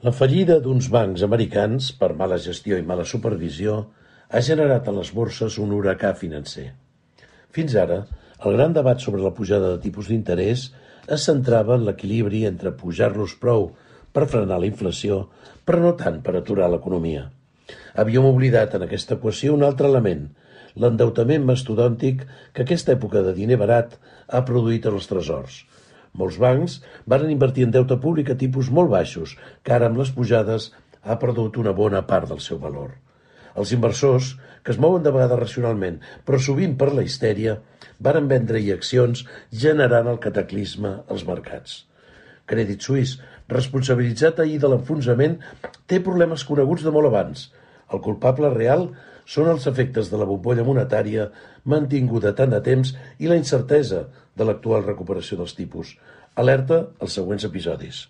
La fallida d'uns bancs americans, per mala gestió i mala supervisió, ha generat a les borses un huracà financer. Fins ara, el gran debat sobre la pujada de tipus d'interès es centrava en l'equilibri entre pujar-los prou per frenar la inflació, però no tant per aturar l'economia. Havíem oblidat en aquesta equació un altre element, l'endeutament mastodòntic que aquesta època de diner barat ha produït en els tresors. Molts bancs van invertir en deute públic a tipus molt baixos, que ara amb les pujades ha perdut una bona part del seu valor. Els inversors, que es mouen de vegades racionalment, però sovint per la histèria, varen vendre-hi accions generant el cataclisme als mercats. Credit Suisse, responsabilitzat ahir de l'enfonsament, té problemes coneguts de molt abans. El culpable real són els efectes de la bombolla monetària mantinguda tant de temps i la incertesa de l'actual recuperació dels tipus. Alerta als següents episodis.